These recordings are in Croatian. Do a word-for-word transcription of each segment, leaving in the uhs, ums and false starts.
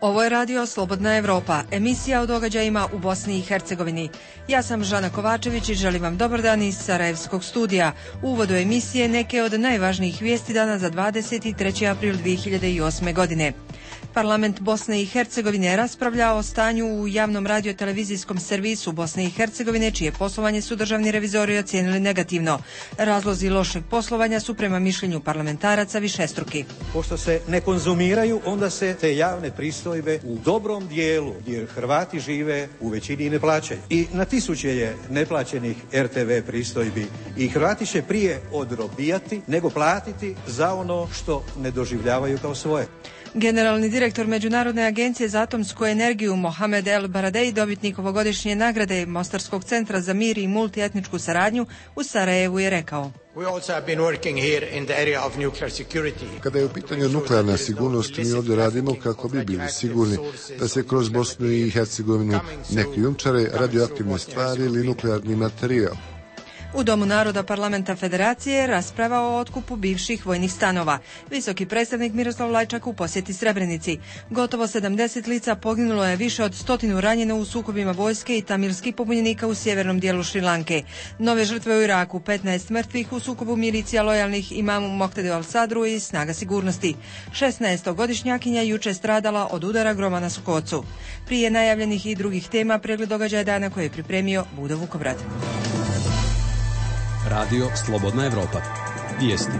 Ovo je radio Slobodna Evropa, emisija o događajima u Bosni i Hercegovini. Ja sam Žana Kovačević i želim vam dobar dan iz Sarajevskog studija. U uvodu emisije neke od najvažnijih vijesti dana za dvadeset treći april dvije hiljade osme. godine. Parlament Bosne i Hercegovine raspravlja o stanju u javnom radio-televizijskom servisu Bosne i Hercegovine, čije poslovanje su državni revizori ocijenili negativno. Razlozi lošeg poslovanja su prema mišljenju parlamentaraca višestruki. Pošto se ne konzumiraju, onda se te javne pristojbe u dobrom dijelu, gdje Hrvati žive, u većini ne plaćaju. I na tisuće je neplaćenih er te ve pristojbi i Hrvati će prije odrobijati nego platiti za ono što ne doživljavaju kao svoje. Generalni direktor Međunarodne agencije za atomsku energiju Mohamed El Baradei, dobitnik ovogodišnje nagrade Mostarskog centra za mir i multietničku saradnju u Sarajevu, je rekao: Kada je u pitanju nuklearna sigurnost, mi ovdje radimo kako bi bili sigurni da se kroz Bosnu i Hercegovinu ne krijumčare radioaktivne stvari ili nuklearni materijal. U Domu naroda Parlamenta Federacije rasprava o otkupu bivših vojnih stanova. Visoki predstavnik Miroslav Lajčak u posjeti Srebrenici. Gotovo sedamdeset lica poginulo je, više od stotinu ranjeno u sukobima vojske i tamilskih pobunjenika u sjevernom dijelu Šrilanke. Nove žrtve u Iraku, petnaest mrtvih u sukobu milicija lojalnih imamu Moqtedu al-Sadru i snaga sigurnosti. šesnaestogodišnjakinja juče stradala od udara groma na Sokocu. Prije najavljenih i drugih tema, pregled događaja dana koje je pripremio Budo Vukobrad. Radio Slobodna Evropa. Vijesti.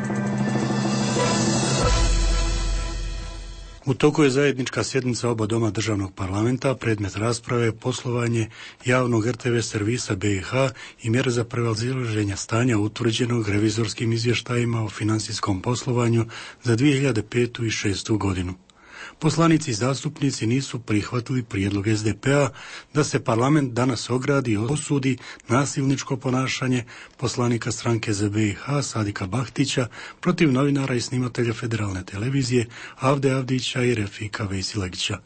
U toku je zajednička sjednica oba doma državnog parlamenta, predmet rasprave poslovanje javnog er te ve servisa be i ha i mjere za prevazilaženje stanja utvrđenog revizorskim izvještajima o financijskom poslovanju za dvije hiljade petu i šestu. godinu. Poslanici i zastupnici nisu prihvatili prijedlog es de pe a da se parlament danas ogradi i osudi nasilničko ponašanje poslanika stranke za be i ha Sadika Bahtića protiv novinara i snimatelja federalne televizije Avde Avdića i Refika Vejsilegića.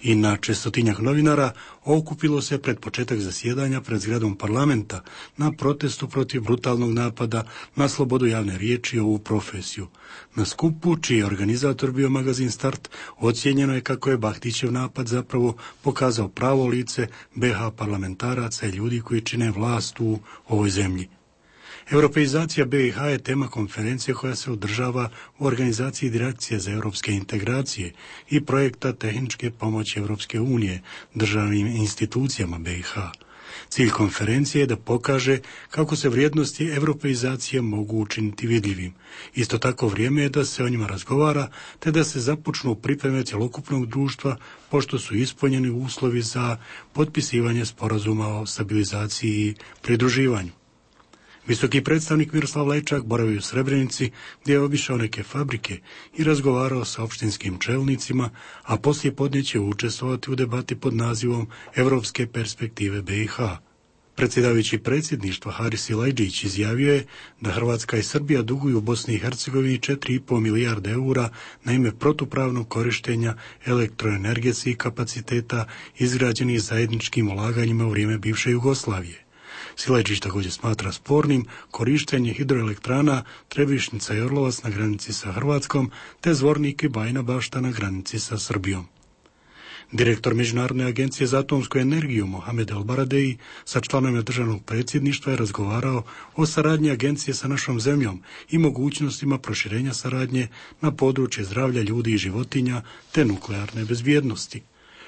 I na čestotinjak novinara okupilo se pred početak zasjedanja pred zgradom parlamenta na protestu protiv brutalnog napada na slobodu javne riječi i ovu profesiju. Na skupu, čiji je organizator bio magazin Start, ocijenjeno je kako je Bahtićev napad zapravo pokazao pravo lice be ha parlamentaraca i ljudi koji čine vlast u ovoj zemlji. Europeizacija be i ha je tema konferencije koja se održava u organizaciji Direkcije za europske integracije i projekta tehničke pomoći Europske unije državnim institucijama be i ha. Cilj konferencije je da pokaže kako se vrijednosti europeizacije mogu učiniti vidljivim. Isto tako vrijeme je da se o njima razgovara, te da se započnu pripreme cjelokupnog društva, pošto su ispunjeni uslovi za potpisivanje sporazuma o stabilizaciji i pridruživanju. Visoki predstavnik Miroslav Lajčak boravi u Srebrenici, gdje je obišao neke fabrike i razgovarao sa opštinskim čelnicima, a poslije podne će učestvovati u debati pod nazivom Evropske perspektive be i ha. Predsjedavajući predsjedništva Haris Silajdžić izjavio je da Hrvatska i Srbija duguju Bosni i Hercegovini četiri i pol milijarde eura na ime protupravnog korištenja elektroenergetskih kapaciteta izgrađenih zajedničkim ulaganjima u vrijeme bivše Jugoslavije. Silajdžić također smatra spornim korištenje hidroelektrana Trebišnica i Orlovac na granici sa Hrvatskom, te Zvornik i Bajina Bašta na granici sa Srbijom. Direktor Međunarodne agencije za atomsku energiju Mohamed El Baradei sa članovima državnog predsjedništva je razgovarao o saradnji agencije sa našom zemljom i mogućnostima proširenja saradnje na područje zdravlja ljudi i životinja te nuklearne bezbjednosti.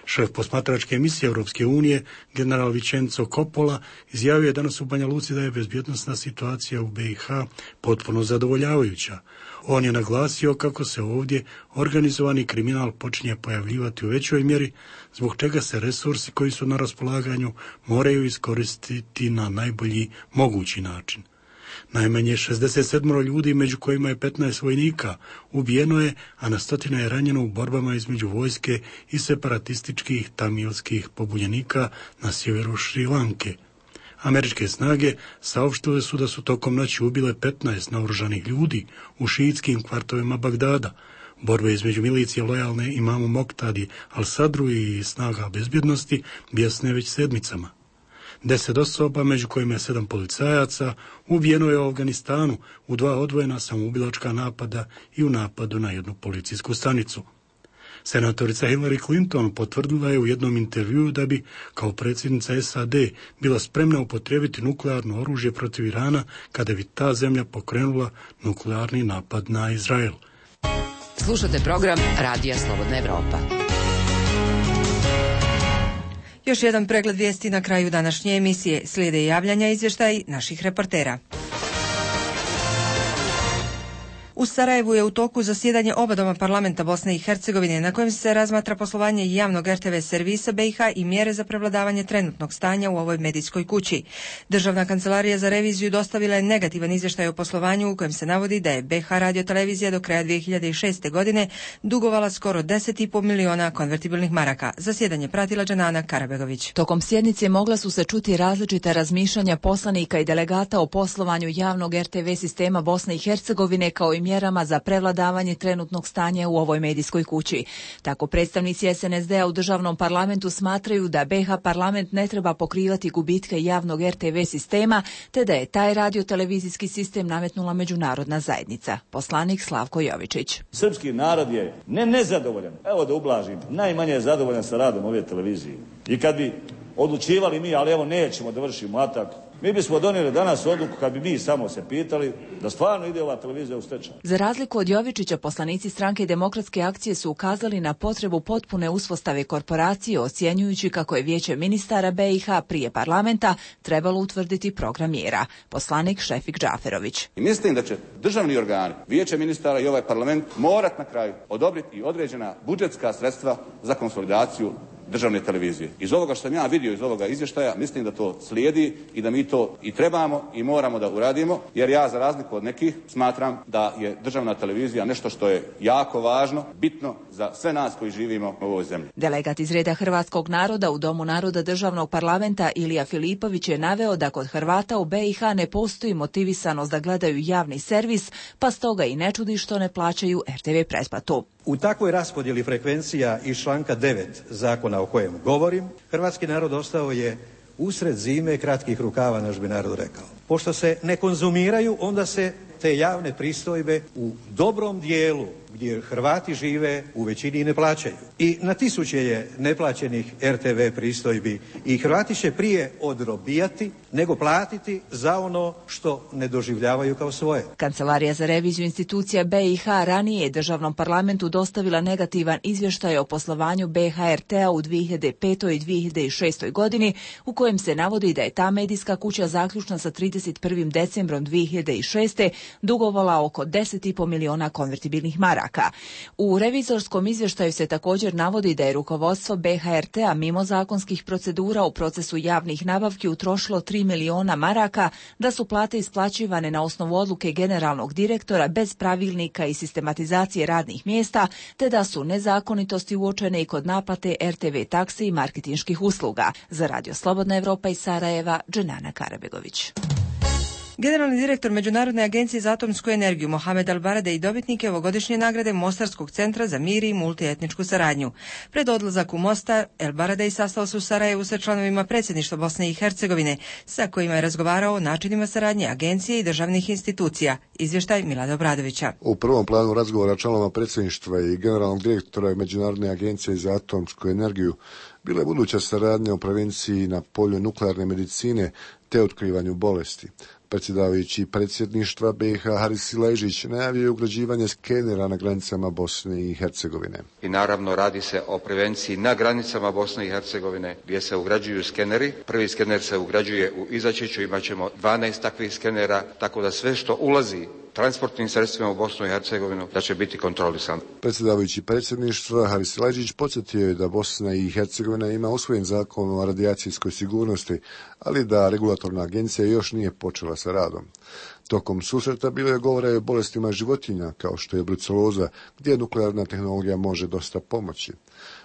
Šef posmatračke emisije Europske unije, general Vicenzo Coppola, izjavio je danas u Banja Luci da je bezbjednosna situacija u be i ha potpuno zadovoljavajuća. On je naglasio kako se ovdje organizovani kriminal počinje pojavljivati u većoj mjeri, zbog čega se resursi koji su na raspolaganju moraju iskoristiti na najbolji mogući način. Najmanje šezdeset sedam ljudi, među kojima je petnaest vojnika, ubijeno je, a na stotine je ranjeno u borbama između vojske i separatističkih tamilskih pobunjenika na sjeveru Šrilanke. Američke snage saopštile su da su tokom noći ubile petnaest naoružanih ljudi u šiitskim kvartovima Bagdada. Borbe između milicije lojalne imamu Moqtedi al-Sadru i snaga bezbjednosti bijesne već sedmicama. Deset osoba, među kojima je sedam policajaca, ubijeno je u Afganistanu u dva odvojena samoubilačka napada i u napadu na jednu policijsku stanicu. Senatorica Hillary Clinton potvrdila je u jednom intervjuu da bi, kao predsjednica S A D, bila spremna upotrijebiti nuklearno oružje protiv Irana kada bi ta zemlja pokrenula nuklearni napad na Izrael. Slušate program Radija Slobodna Evropa. Još jedan pregled vijesti na kraju današnje emisije. Slijede javljanja i izvještaji naših reportera. U Sarajevu je u toku zasjedanje oba doma parlamenta Bosne i Hercegovine na kojem se razmatra poslovanje javnog R T V servisa B i H i mjere za prevladavanje trenutnog stanja u ovoj medijskoj kući. Državna kancelarija za reviziju dostavila je negativan izvještaj o poslovanju u kojem se navodi da je B H radiotelevizija do kraja dvije hiljade šeste. godine dugovala skoro deset i po miliona konvertibilnih maraka. Zasjedanje pratila Džanana Karabegović. Tokom sjednice mogla su se čuti različita razmišljanja poslanika i delegata o poslovanju javnog R T V sistema Bosne i Hercegovine kao i mjerama za prevladavanje trenutnog stanja u ovoj medijskoj kući. Tako predstavnici S N S D-a u državnom parlamentu smatraju da B H parlament ne treba pokrivati gubitke javnog R T V sistema, te da je taj radiotelevizijski sistem nametnula međunarodna zajednica. Poslanik Slavko Jovičić. Srpski narod je ne nezadovoljan, evo da ublažim, najmanje je zadovoljan sa radom ove televizije. I kad bi odlučivali mi, ali evo nećemo da vršimo atak, mi bismo donijeli danas odluku kad bi mi samo se pitali da stvarno ide ova televizija u stečaj. Za razliku od Jovičića, poslanici Stranke demokratske akcije su ukazali na potrebu potpune uspostave korporacije, ocjenjujući kako je Vijeće ministara B i H prije parlamenta trebalo utvrditi program mjera. Poslanik Šefik Džaferović. I mislim da će državni organi, Vijeće ministara i ovaj parlament morat na kraju odobriti i određena budžetska sredstva za konsolidaciju državne televizije. Iz ovoga što sam ja vidio iz ovoga izvještaja, mislim da to slijedi i da mi to i trebamo i moramo da uradimo, jer ja za razliku od nekih smatram da je državna televizija nešto što je jako važno, bitno za sve nas koji živimo u ovoj zemlji. Delegat iz reda hrvatskog naroda u Domu naroda državnog parlamenta Ilija Filipović je naveo da kod Hrvata u B i H ne postoji motivisanost da gledaju javni servis, pa stoga i ne čudi što ne plaćaju R T V pretplatu. U takvoj raspodjeli frekvencija iz članka devet zakona o kojem govorim, hrvatski narod ostao je usred zime kratkih rukava, naš bi narod rekao. Pošto se ne konzumiraju, onda se te javne pristojbe u dobrom dijelu gdje Hrvati žive u većini ne plaćaju. I na tisuće je neplaćenih R T V pristojbi i Hrvati će prije odrobijati nego platiti za ono što ne doživljavaju kao svoje. Kancelarija za reviziju institucija B i H ranije je državnom parlamentu dostavila negativan izvještaj o poslovanju B H R T-a u dvije hiljade petoj i dvije hiljade šestoj. godini u kojem se navodi da je ta medijska kuća zaključna sa trideset prvim decembrom dvije hiljade šeste. dugovala oko deset i po miliona konvertibilnih maraka. U revizorskom izvještaju se također navodi da je rukovodstvo B H R T-a mimo zakonskih procedura u procesu javnih nabavki utrošilo tri miliona maraka, da su plate isplaćivane na osnovu odluke generalnog direktora bez pravilnika i sistematizacije radnih mjesta, te da su nezakonitosti uočene i kod naplate R T V taksi i marketinških usluga. Za Radio Slobodna Evropa iz Sarajeva, Dženana Karabegović. Generalni direktor Međunarodne agencije za atomsku energiju Mohamed Al-Baradej dobitnik je ovogodišnje nagrade Mostarskog centra za mir i multietničku saradnju. Pred odlazak u Mostar, El-Baradej sastao se u Sarajevu sa članovima predsjedništva Bosne i Hercegovine, sa kojima je razgovarao o načinima saradnje agencije i državnih institucija. Izvještaj Milada Obradovića. U prvom planu razgovora članova predsjedništva i generalnog direktora Međunarodne agencije za atomsku energiju bila je buduća saradnja o prevenciji na polju nuklearne medicine te otkrivanju bolesti. Predsjedavajući predsjedništva B i H Haris Siležić najavio je ugrađivanje skenera na granicama Bosne i Hercegovine. I naravno radi se o prevenciji na granicama Bosne i Hercegovine gdje se ugrađuju skeneri. Prvi skener se ugrađuje u Izačiću, imat ćemo dvanaest takvih skenera, tako da sve što ulazi transportnim sredstvima u Bosnu i Hercegovinu da će biti kontrolisano. Predsjedavajući predsjedništva Haris Siležić podsjetio je da Bosna i Hercegovina ima usvojen zakon o radijacijskoj sigurnosti, ali da regulatorna agencija još nije počela sa radom. Tokom susreta bilo je govora o bolestima životinja, kao što je bruceloza, gdje nuklearna tehnologija može dosta pomoći.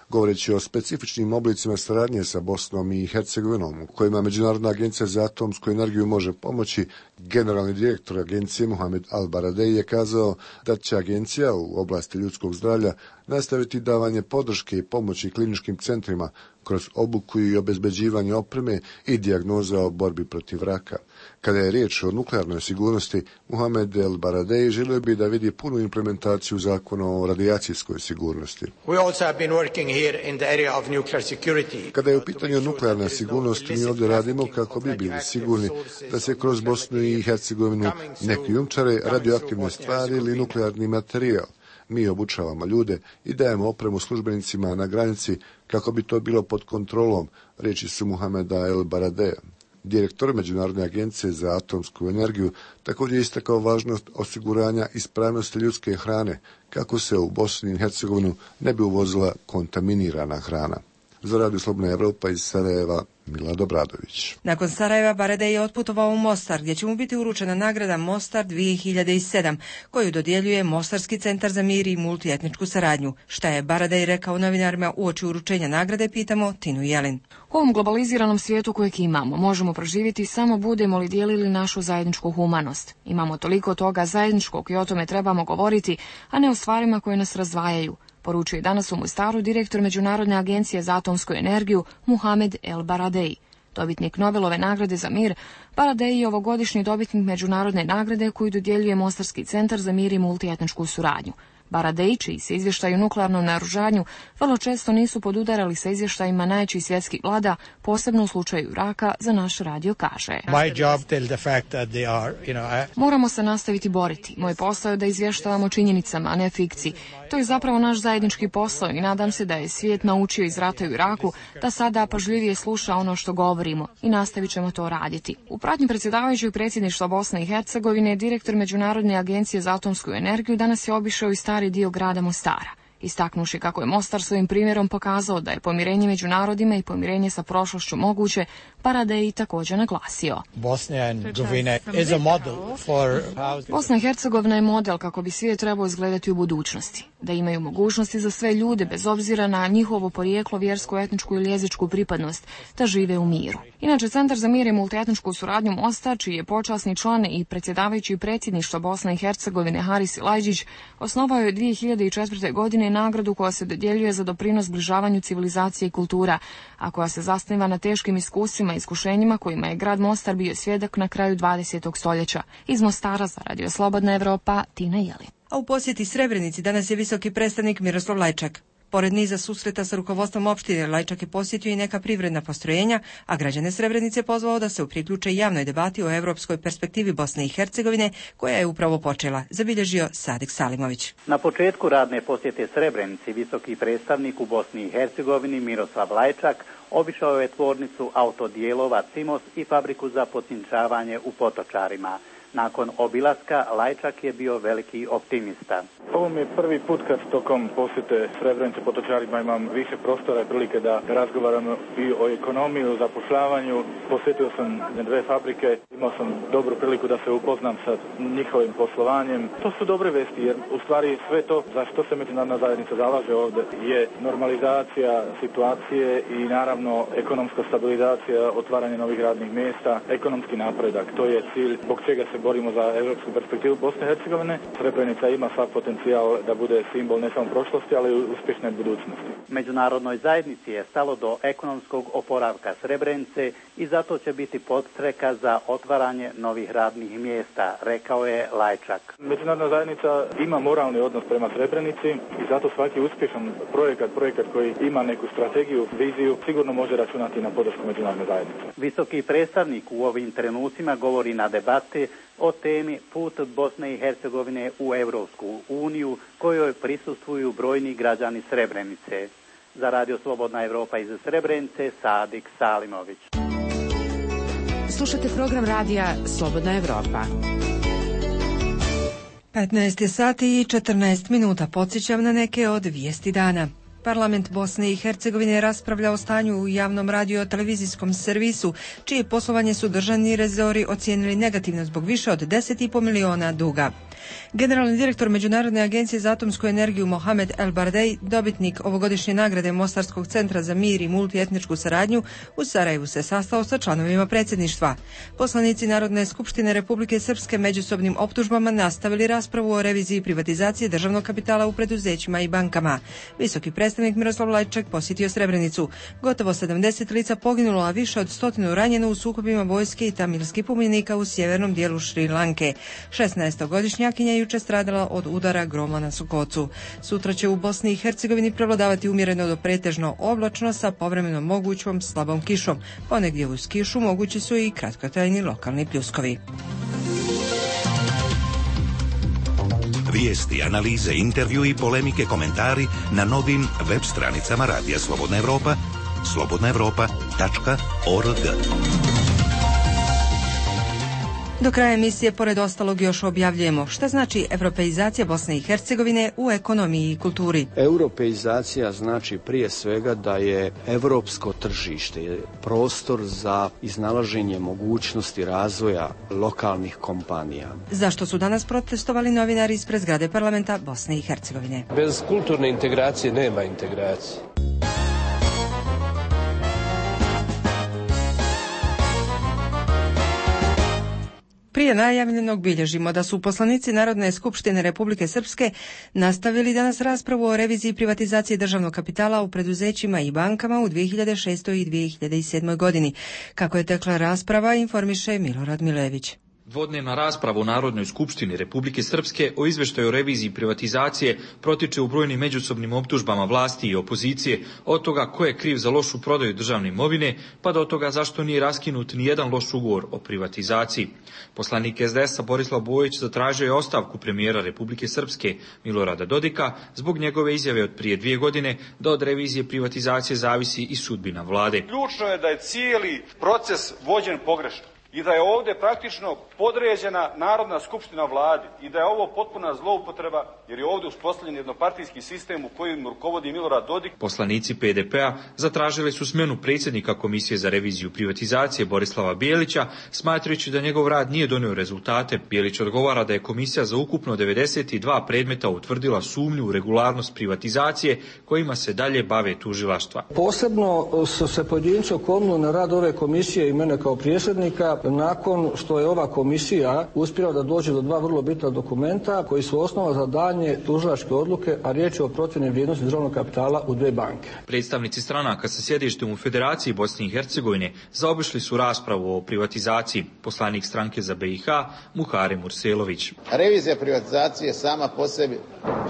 Govoreći o specifičnim oblicima saradnje sa Bosnom i Hercegovinom, u kojima Međunarodna agencija za atomsku energiju može pomoći, Generalni direktor agencije Mohamed Al-Baradei je kazao da će agencija u oblasti ljudskog zdravlja nastaviti davanje podrške i pomoći kliničkim centrima kroz obuku i obezbeđivanje opreme i dijagnoza o borbi protiv raka. Kada je riječ o nuklearnoj sigurnosti, Mohamed El-Baradei želio bi da vidi punu implementaciju zakona o radijacijskoj sigurnosti. Kada je u pitanju nuklearna sigurnost, mi ovdje radimo kako bi bili sigurni da se kroz Bosnu i Hercegovinu ne krijumčare radioaktivne stvari ili nuklearni materijal. Mi obučavamo ljude i dajemo opremu službenicima na granici kako bi to bilo pod kontrolom, riječi su Mohameda El-Baradea. Direktor Međunarodne agencije za atomsku energiju također istakao važnost osiguranja ispravnosti ljudske hrane kako se u Bosni i Hercegovinu ne bi uvozila kontaminirana hrana. Za Radio Slobodna Evropa iz Sarajeva, Milad Obradović. Nakon Sarajeva Baradei je otputovao u Mostar, gdje će mu biti uručena nagrada Mostar dvije hiljade sedam, koju dodjeljuje Mostarski centar za mir i multietničku saradnju. Šta je Baradei rekao novinarima uoči uručenja nagrade, pitamo Tinu Jelin. U ovom globaliziranom svijetu kojeg imamo, možemo proživjeti samo budemo li dijelili našu zajedničku humanost. Imamo toliko toga zajedničkog i o tome trebamo govoriti, a ne o stvarima koje nas razdvajaju, poručuje danas u Mostaru direktor Međunarodne agencije za atomsku energiju Mohamed El-Baradei. Dobitnik Nobelove nagrade za mir, Baradei je ovogodišnji dobitnik međunarodne nagrade koju dodjeljuje Mostarski centar za mir i multietničku suradnju. Baradei, čiji se izvještaji o nuklearnom naoružanju vrlo često nisu podudarali sa izvještajima najjačih svjetskih vlada, posebno u slučaju Iraka, za naš radio kaže. Moramo se nastaviti boriti. Moj posao je da izvještavamo činjenicama, a ne fikciji. To je zapravo naš zajednički posao i nadam se da je svijet naučio iz rata u Iraku da sada pažljivije sluša ono što govorimo i nastavit ćemo to raditi. U pratnji predsjedavajućeg predsjedništva Bosne i Hercegovine, direktor Međunarodne agencije za atomsku energiju danas je obišao i stari dio grada Mostara, istaknuši kako je Mostar svojim primjerom pokazao da je pomirenje među narodima i pomirenje sa prošlošću moguće, Baradei također naglasio. Bosna i Hercegovina je model kako bi svijet trebao izgledati u budućnosti, da imaju mogućnosti za sve ljude bez obzira na njihovo porijeklo, vjersku, etničku ili jezičku pripadnost, da žive u miru. Inače, Centar za mir i multietničku suradnju Mostar, čiji je počasni član i predsjedavajući predsjedništva Bosne i Hercegovine Haris Lajđić, osnovao je dvije hiljade četvrte. godine nagradu koja se dodjeljuje za doprinos zbližavanju civilizacije i kultura, a koja se zasniva na teškim iskustvima i iskušenjima kojima je grad Mostar bio svjedok na kraju dvadesetog stoljeća. Iz Mostara za Radio Slobodna Evropa, Tina Jelin. A u posjeti Srebrenici danas je visoki predstavnik Miroslav Lajčak. Pored niza susreta sa rukovodstvom opštine, Lajčak je posjetio i neka privredna postrojenja, a građane Srebrenice pozvao da se priključe javnoj debati o europskoj perspektivi Bosne i Hercegovine, koja je upravo počela, zabilježio Sadik Salimović. Na početku radne posjete Srebrenici visoki predstavnik u Bosni i Hercegovini Miroslav Lajčak obišao je tvornicu autodijelova Cimos i fabriku za potcinčavanje u Potočarima. Nakon obilaska, Lajčak je bio veliki optimista. Ovo mi je prvi put kad tokom posjete Srebrenice Potočarima imam više prostora i prilike da razgovaramo i o ekonomiji, o zapošljavanju. Posjetio sam dve fabrike, imao sam dobru priliku da se upoznam sa njihovim poslovanjem. To su dobre vesti jer u stvari sve to za što se međunarodna zajednica zalaže ovdje je normalizacija situacije i naravno ekonomska stabilizacija, otvaranje novih radnih mjesta, ekonomski napredak. To je cilj zbog čega se borimo za europsku perspektivu Bosne i Hercegovine. Srebrenica ima sav potencijal da bude simbol ne samo prošlosti, ali i uspješne budućnosti. Međunarodnoj zajednici je stalo do ekonomskog oporavka Srebrenice i zato će biti podstreka za otvaranje novih radnih mjesta, rekao je Lajčak. Međunarodna zajednica ima moralni odnos prema Srebrenici i zato svaki uspješan projekat, projekat koji ima neku strategiju, viziju, sigurno može računati na podršku međunarodne zajednice. Visoki predstavnik u ovim trenucima govori na debati o temi put Bosne i Hercegovine u Europsku uniju, kojoj prisustvuju brojni građani Srebrenice. Za Radio Slobodna Evropa iz Srebrenice, Sadik Salimović. Slušate program radija Slobodna Evropa. petnaest je sati i četrnaest minuta. Podsjećam na neke od vijesti dana. Parlament Bosne i Hercegovine raspravlja o stanju u javnom radio-televizijskom servisu, čije poslovanje su državni revizori ocijenili negativno zbog više od deset i po miliona duga. Generalni direktor Međunarodne agencije za atomsku energiju Mohamed El Bardej, dobitnik ovogodišnje nagrade Mostarskog centra za mir i multietničku saradnju, u Sarajevu se sastao sa članovima predsjedništva. Poslanici Narodne skupštine Republike Srpske međusobnim optužbama nastavili raspravu o reviziji privatizacije državnog kapitala u preduzećima i bankama. Visoki predstavnik Miroslav Lajčak posjetio Srebrenicu. Gotovo sedamdeset lica poginulo, a više od stotinu ranjeno u sukobima vojske i tamilskih pobunjenika u sjevernom dijelu Šri Lanke. šesnaestogodišnjakinja juče stradala od udara groma na Sokocu. Sutra će u Bosni i Hercegovini prevladavati umjereno do pretežno oblačno sa povremeno mogućom slabom kišom. Ponegdje uz kišu mogući su i kratkotrajni lokalni pljuskovi. Vijesti, analize, intervju i polemike, komentari na novim web stranicama Radija Slobodna Evropa, slobodna evropa tačka org. Do kraja emisije, pored ostalog, još objavljujemo šta znači europeizacija Bosne i Hercegovine u ekonomiji i kulturi. Europeizacija znači prije svega da je europsko tržište prostor za iznalaženje mogućnosti razvoja lokalnih kompanija. Zašto su danas protestovali novinari ispred zgrade parlamenta Bosne i Hercegovine? Bez kulturne integracije nema integracije. Prije najavljenog bilježimo da su poslanici Narodne skupštine Republike Srpske nastavili danas raspravu o reviziji privatizacije državnog kapitala u preduzećima i bankama u dvije hiljade šestoj i dvije hiljade sedmoj godini. Kako je tekla rasprava, informiše Milorad Milević. Dvodnevna rasprava u Narodnoj skupštini Republike Srpske o izveštaju o reviziji privatizacije protiče u brojnim međusobnim optužbama vlasti i opozicije, od toga ko je kriv za lošu prodaju državne imovine, pa do toga zašto nije raskinut ni jedan loš ugovor o privatizaciji. Poslanik es de es a Borislav Bojić zatražio je ostavku premijera Republike Srpske Milorada Dodika zbog njegove izjave od prije dvije godine da od revizije privatizacije zavisi i sudbina vlade. Ključno je da je cijeli proces vođen pogrešno i da je ovdje praktično podređena Narodna skupština vladi i da je ovo potpuna zloupotreba jer je ovdje uspostavljen jednopartijski sistem u kojem rukovodi Milorad Dodik. Poslanici pe de pe a zatražili su smjenu predsjednika Komisije za reviziju privatizacije Borislava Bijelića, smatrajući da njegov rad nije donio rezultate. Bijelić odgovara da je komisija za ukupno devedeset dva predmeta utvrdila sumnju u regularnost privatizacije kojima se dalje bave tužilaštva. Posebno su se pojedinci okomnuli na rad ove komisije i mene kao predsjednika nakon što je ova komisija uspjela da dođe do dva vrlo bitna dokumenta koji su osnova za daljnje tužilačke odluke, a riječ je o procjeni vrijednosti državnog kapitala u dve banke. Predstavnici stranaka sa sjedištem u Federaciji Bosne i Hercegovine zaobišli su raspravu o privatizaciji. Poslanik stranke za be i ha Muharem Urselović. Revizija privatizacije sama po sebi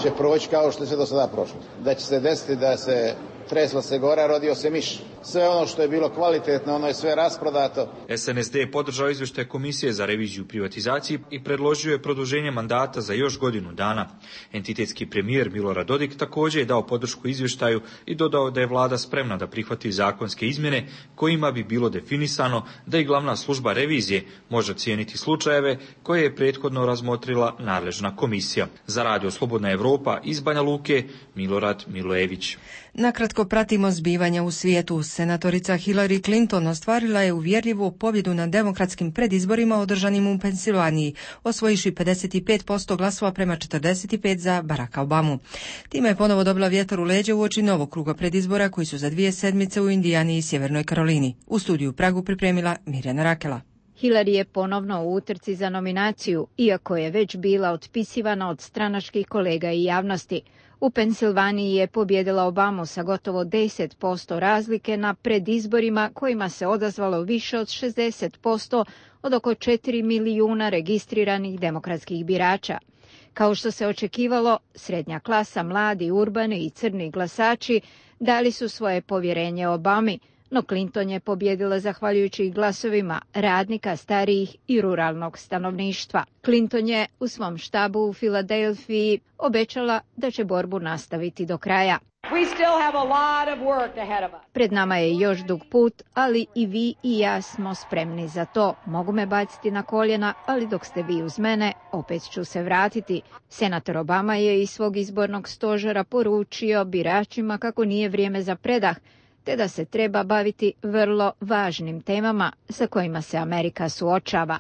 će proći kao što je sve do sada prošlo. Da će se desiti da se tresla se gora, rodio se miš. Sve ono što je bilo kvalitetno, ono je sve rasprodato. es en es de je podržao izvještaj Komisije za reviziju privatizacije i predložio je produženje mandata za još godinu dana. Entitetski premijer Milorad Dodik također je dao podršku izvještaju i dodao da je vlada spremna da prihvati zakonske izmjene kojima bi bilo definisano da i glavna služba revizije može ocijeniti slučajeve koje je prethodno razmotrila nadležna komisija. Za Radio Slobodna Evropa iz Banja Luke, Milorad Milojević. Nakratko pratimo zbivanja u svijetu. Senatorica Hillary Clinton ostvarila je uvjerljivu pobjedu na demokratskim predizborima održanim u Pensilvaniji, osvojiši pedeset pet posto glasova prema četrdeset pet za Baracka Obamu. Time je ponovo dobila vjetar u leđa uoči novog kruga predizbora koji su za dvije sedmice u Indijani i Sjevernoj Karolini. U studiju u Pragu pripremila Mirjana Rakela. Hillary je ponovno u utrci za nominaciju, iako je već bila otpisivana od stranačkih kolega i javnosti. U Pensilvaniji je pobjedila Obamu sa gotovo deset posto razlike na predizborima kojima se odazvalo više od šezdeset posto od oko četiri milijuna registriranih demokratskih birača. Kao što se očekivalo, srednja klasa, mladi, urbani i crni glasači dali su svoje povjerenje Obami, no Clinton je pobjedila zahvaljujući glasovima radnika, starijih i ruralnog stanovništva. Clinton je u svom štabu u Filadelfiji obećala da će borbu nastaviti do kraja. We still have a lot of work ahead of us. Pred nama je još dug put, ali i vi i ja smo spremni za to. Mogu me baciti na koljena, ali dok ste vi uz mene, opet ću se vratiti. Senator Obama je iz svog izbornog stožera poručio biračima kako nije vrijeme za predah, te da se treba baviti vrlo važnim temama sa kojima se Amerika suočava.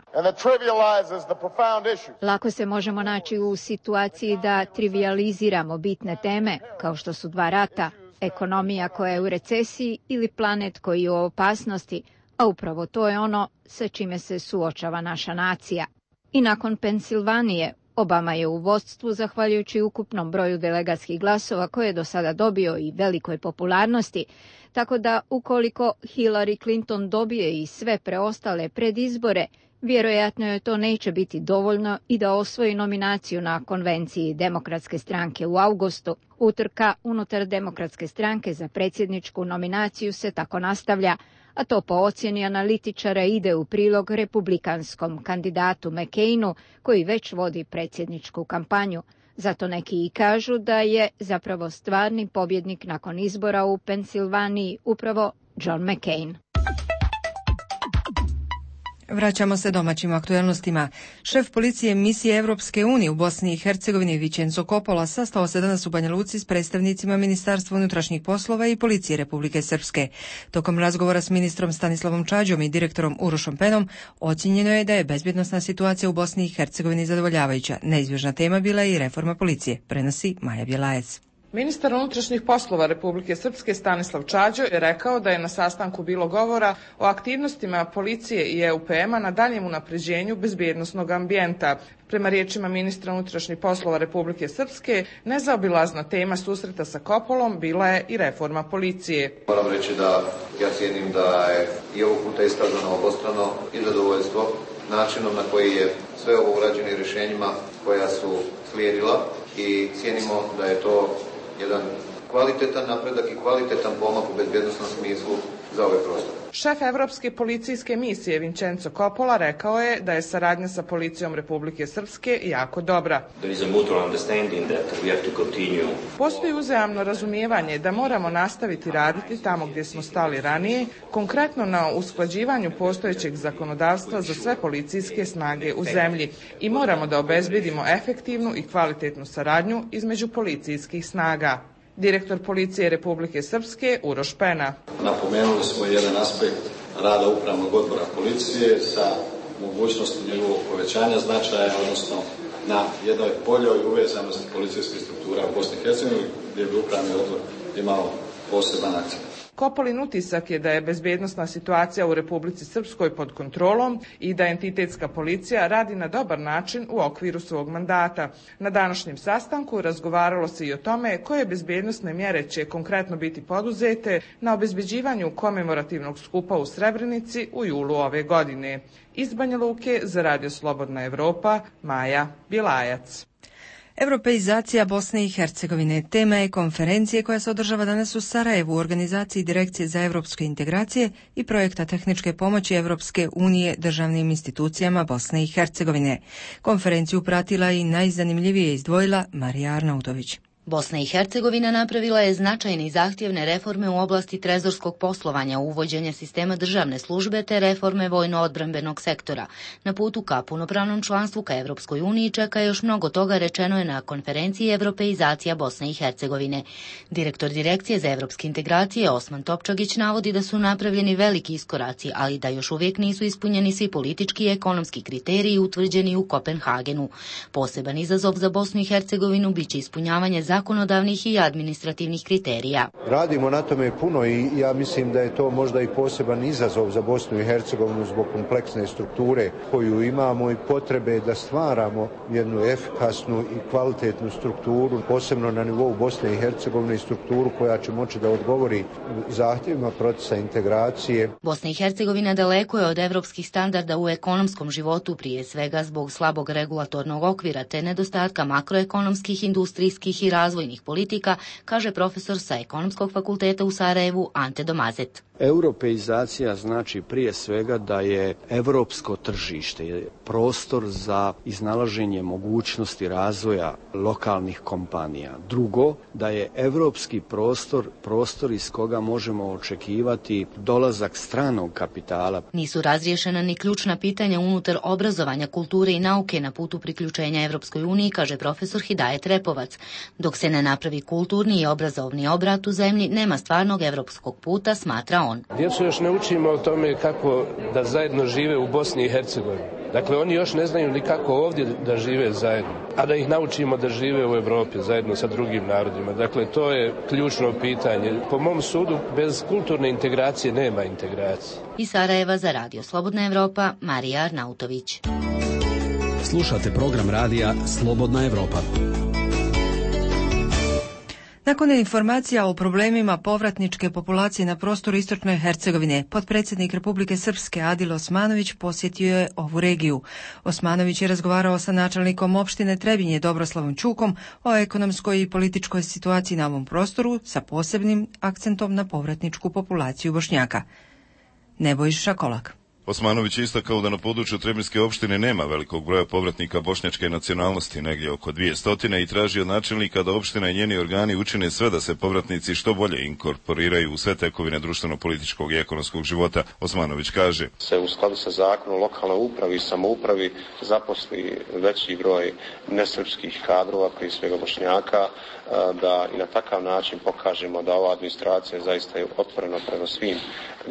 Lako se možemo naći u situaciji da trivializiramo bitne teme, kao što su dva rata, ekonomija koja je u recesiji ili planet koji je u opasnosti, a upravo to je ono sa čime se suočava naša nacija. I nakon Pensilvanije, Obama je u vodstvu zahvaljujući ukupnom broju delegatskih glasova koje je do sada dobio i velikoj popularnosti, tako da ukoliko Hillary Clinton dobije i sve preostale predizbore, vjerojatno joj to neće biti dovoljno i da osvoji nominaciju na konvenciji Demokratske stranke u avgustu. Utrka unutar Demokratske stranke za predsjedničku nominaciju se tako nastavlja, a to po ocjeni analitičara ide u prilog republikanskom kandidatu McCainu, koji već vodi predsjedničku kampanju. Zato neki i kažu da je zapravo stvarni pobjednik nakon izbora u Pensilvaniji upravo John McCain. Vraćamo se domaćim aktualnostima. Šef policije misije Europske unije u Bosni i Hercegovini Vincenzo Coppola sastao se danas u Banja Luci s predstavnicima Ministarstva unutrašnjih poslova i Policije Republike Srpske. Tokom razgovora s ministrom Stanislavom Čađom i direktorom Urošom Penom ocijenjeno je da je bezbjednosna situacija u Bosni i Hercegovini zadovoljavajuća. Neizbježna tema bila je i reforma policije, prenosi Maja Bjelajec. Ministar unutrašnjih poslova Republike Srpske Stanislav Čađo je rekao da je na sastanku bilo govora o aktivnostima policije i E U P M-a na daljem unapređenju bezbjednosnog ambijenta. Prema riječima ministra unutrašnjih poslova Republike Srpske, nezaobilazna tema susreta sa Coppolom bila je i reforma policije. Moram reći da ja cijenim da je i ovog puta iskazano obostrano i zadovoljstvo načinom na koji je sve ovo urađeno rješenjima koja su slijedila i cijenimo da je to jedan kvalitetan napredak i kvalitetan pomak u bezbjednosnom smislu za ovaj prostor. Šef Evropske policijske misije Vincenzo Coppola rekao je da je saradnja sa policijom Republike Srpske jako dobra. Postoji uzajamno razumijevanje da moramo nastaviti raditi tamo gdje smo stali ranije, konkretno na usklađivanju postojećeg zakonodavstva za sve policijske snage u zemlji i moramo da obezbedimo efektivnu i kvalitetnu saradnju između policijskih snaga. Direktor policije Republike Srpske Uroš Pena. Napomenuli smo jedan aspekt rada upravnog odbora policije sa mogućnosti njegovog povećanja značaja, odnosno na jednoj boljoj uvezanosti policijskih struktura u Bosni i Hercegovini, gdje bi upravni odbor imao poseban akcent. Coppolin utisak je da je bezbjednosna situacija u Republici Srpskoj pod kontrolom i da entitetska policija radi na dobar način u okviru svog mandata. Na današnjem sastanku razgovaralo se i o tome koje bezbjednosne mjere će konkretno biti poduzete na obezbeđivanju komemorativnog skupa u Srebrenici u julu ove godine. Iz Banja Luke za Radio Slobodna Evropa, Maja Bjelajac. Europeizacija Bosne i Hercegovine tema je konferencije koja se održava danas u Sarajevu u organizaciji Direkcije za europske integracije i projekta tehničke pomoći Europske unije državnim institucijama Bosne i Hercegovine. Konferenciju pratila i najzanimljivije izdvojila Marija Arnautović. Bosna i Hercegovina napravila je značajne i zahtjevne reforme u oblasti trezorskog poslovanja, uvođenja sistema državne službe te reforme vojno-odbrambenog sektora. Na putu ka punopravnom članstvu ka Evropskoj uniji čeka još mnogo toga, rečeno je na konferenciji Europeizacija Bosne i Hercegovine. Direktor Direkcije za evropske integracije Osman Topčagić navodi da su napravljeni veliki iskoraci, ali da još uvijek nisu ispunjeni svi politički i ekonomski kriteriji utvrđeni u Kopenhagenu. Poseban izazov za Bosnu i Hercegovinu biće ispunjavanje zakonodavnih i administrativnih kriterija. Radimo na tome puno i ja mislim da je to možda i poseban izazov za Bosnu i Hercegovinu zbog kompleksne strukture koju imamo i potrebe da stvaramo jednu efikasnu i kvalitetnu strukturu, posebno na nivou Bosne i Hercegovine i strukturu koja će moći da odgovori zahtjevima procesa integracije. Bosna i Hercegovina daleko je od evropskih standarda u ekonomskom životu, prije svega zbog slabog regulatornog okvira te nedostatka makroekonomskih, industrijskih i razvojnih politika, kaže profesor sa Ekonomskog fakulteta u Sarajevu Ante Domazet. Europeizacija znači prije svega da je europsko tržište prostor za iznalaženje mogućnosti razvoja lokalnih kompanija. Drugo, da je europski prostor prostor iz koga možemo očekivati dolazak stranog kapitala. Nisu razriješena ni ključna pitanja unutar obrazovanja, kulture i nauke na putu priključenja Evropskoj uniji, kaže profesor Hidajet Repovac. Dok se ne napravi kulturni i obrazovni obrat u zemlji, nema stvarnog evropskog puta, smatra on. Djecu još ne učimo o tome kako da zajedno žive u Bosni i Hercegovini. Dakle, oni još ne znaju ni kako ovdje da žive zajedno, a da ih naučimo da žive u Europi zajedno sa drugim narodima. Dakle, to je ključno pitanje. Po mom sudu, bez kulturne integracije nema integracije. Iz Sarajeva za Radio Slobodna Evropa, Marija Arnautović. Slušate program radija Slobodna Evropa. Nakon informacija o problemima povratničke populacije na prostoru istočne Hercegovine, potpredsjednik Republike Srpske Adil Osmanović posjetio je ovu regiju. Osmanović je razgovarao sa načelnikom opštine Trebinje Dobroslavom Čukom o ekonomskoj i političkoj situaciji na ovom prostoru sa posebnim akcentom na povratničku populaciju Bošnjaka. Nebojša Kolak. Osmanović je istakao da na području Trebinjske opštine nema velikog broja povratnika bošnjačke nacionalnosti, negdje oko dvije stotine, i traži od načelnika da opština i njeni organi učine sve da se povratnici što bolje inkorporiraju u sve tekovine društveno-političkog i ekonomskog života. Osmanović kaže: se u skladu sa zakonom lokalnoj upravi i samoupravi zaposli veći broj nesrpskih kadrova, prije svega Bošnjaka, da i na takav način pokažemo da ova administracija zaista je otvorena prema svim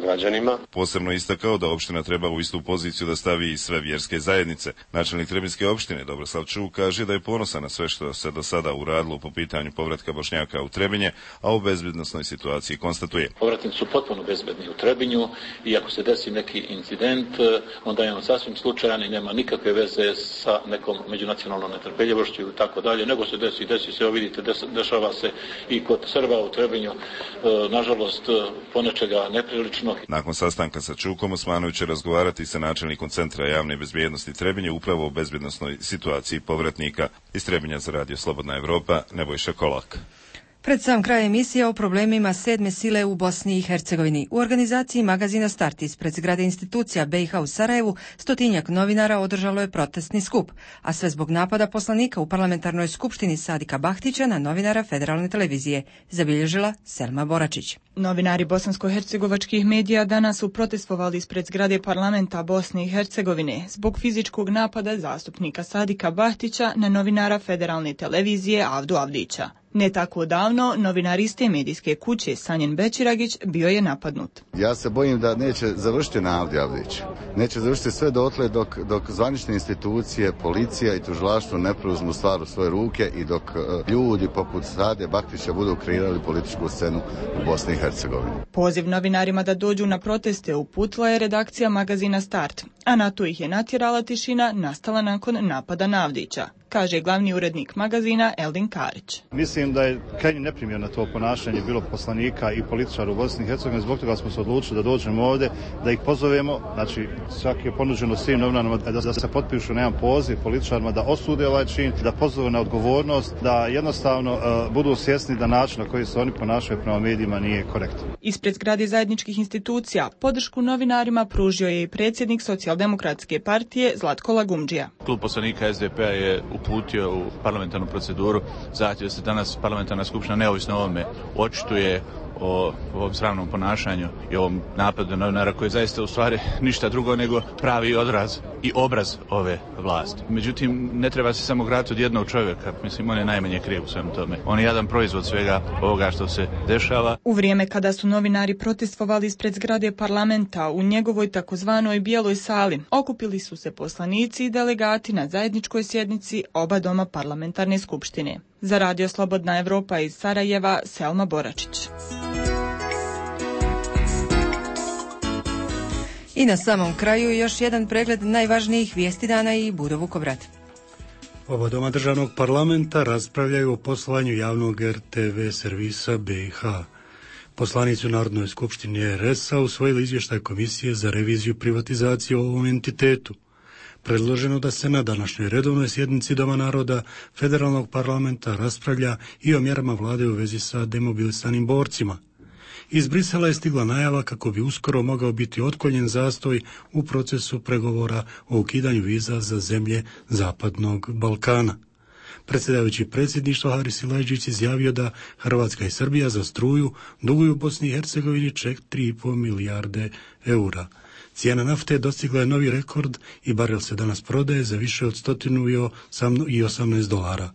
građanima. Posebno istakao da opština treba u istu poziciju da stavi i sve vjerske zajednice. Načelnik Trebinjske opštine Dobroslav Čuk kaže da je ponosan na sve što se do sada uradilo po pitanju povratka Bošnjaka u Trebinje, a u bezbednosnoj situaciji konstatuje: povratnici su potpuno bezbedni u Trebinju i ako se desi neki incident, onda je on sasvim slučajan i nema nikakve veze sa nekom međunacionalnom netrpeljivošću i tako dalje, nego se desi, desi se, evo vidite, dešava se i kod Srba u Trebinju, nažalost, ponečega neprilično. Nakon sastanka sa Čukom, Osmanović će razgovarati sa načelnikom Centra javne bezbjednosti Trebinje upravo o bezbjednosnoj situaciji povratnika. Iz Trebinja za Radio Slobodna Evropa, Nebojša Kolak. Pred sam kraj emisije o problemima sedme sile u Bosni i Hercegovini. U organizaciji magazina Start ispred zgrade institucija B i H u Sarajevu stotinjak novinara održalo je protestni skup, a sve zbog napada poslanika u parlamentarnoj skupštini Sadika Bahtića na novinara Federalne televizije, zabilježila Selma Boračić. Novinari bosansko-hercegovačkih medija danas su protestovali ispred zgrade parlamenta Bosne i Hercegovine zbog fizičkog napada zastupnika Sadika Bahtića na novinara Federalne televizije Avdu Avdića. Ne tako davno, novinar iste medijske kuće Sanjen Bećiragić bio je napadnut. Ja se bojim da neće završiti na Avdi Avdiću. Neće završiti sve dotle dok, dok zvanične institucije, policija i tužilaštvo ne preuzmu stvar u svoje ruke i dok uh, ljudi poput Sade Bahtića budu kreirali političku scenu u Bosni i Hercegovini. Poziv novinarima da dođu na proteste uputila je redakcija magazina Start, a na to ih je natjerala tišina nastala nakon napada na Avdića, kaže glavni urednik magazina Eldin Karić. Mislim da je krajnje neprimjerno to ponašanje bilo poslanika i političara u Bosni i Hercegovini, zbog toga smo se odlučili da dođemo ovdje, da ih pozovemo, znači svaki je ponuđeno svim novinarima da, da se potpišu na jedan poziv političarima da osude ovaj čin, da pozove na odgovornost, da jednostavno uh, budu svjesni da način na koji se oni ponašaju prema medijima nije korektan. Ispred zgrade zajedničkih institucija podršku novinarima pružio je i predsjednik Socijaldemokratske partije Zlatko Lagumdžija. Klub poslanika S D P-a je uputio u parlamentarnu proceduru zahtjev da se danas parlamentarna skupština neovisno o ovome očituje o ovom sramnom ponašanju i ovom napadu novinara koji je zaista u stvari ništa drugo nego pravi odraz i obraz ove vlasti. Međutim, ne treba se samo graditi od jednog čovjeka, mislim on je najmanje kriv u svemu tome. On je jedan proizvod svega ovoga što se dešava. U vrijeme kada su novinari protestovali ispred zgrade parlamenta u njegovoj takozvanoj bijeloj sali, okupili su se poslanici i delegati na zajedničkoj sjednici oba doma parlamentarne skupštine. Za Radio Slobodna Evropa iz Sarajeva, Selma Boračić. I na samom kraju još jedan pregled najvažnijih vijesti dana i Budo Vukobrad. Oba doma državnog parlamenta raspravljaju o poslovanju javnog R T V servisa B i H. Poslanici u Narodnoj skupštini R S-a usvojili izvještaj Komisije za reviziju privatizacije o ovom entitetu. Predloženo da se na današnjoj redovnoj sjednici Doma naroda Federalnog parlamenta raspravlja i o mjerama vlade u vezi sa demobilisanim borcima. Iz Brisela je stigla najava kako bi uskoro mogao biti otklonjen zastoj u procesu pregovora o ukidanju viza za zemlje Zapadnog Balkana. Predsjedavajući predsjedništva Haris Silajdžić izjavio da Hrvatska i Srbija za struju duguju Bosni i Hercegovini četiri i pol milijarde eura. Cijena nafte dostigla je novi rekord i barel se danas prodaje za više od stotinu i osamnaest dolara.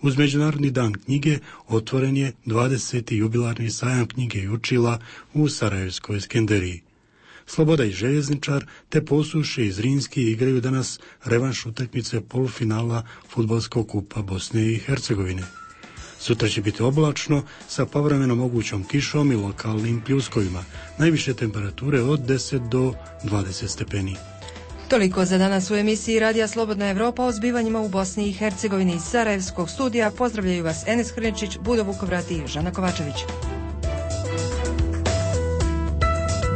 Uz Međunarodni dan knjige otvoren je dvadeseti jubilarni sajam knjige i učila u Sarajevskoj Skenderiji. Sloboda i Željezničar te Posuše i Zrinski igraju danas revanš utakmice polufinala fudbalskog kupa Bosne i Hercegovine. Sutra će biti oblačno sa povremeno mogućom kišom i lokalnim pljuskovima. Najviše temperature od deset do dvadeset stepeni. Toliko za danas u emisiji Radija Slobodna Evropa o zbivanjima u Bosni i Hercegovini. Iz Sarajevskog studija pozdravljaju vas Enes Hrnečić, Budo Vukovrat i Žana Kovačević.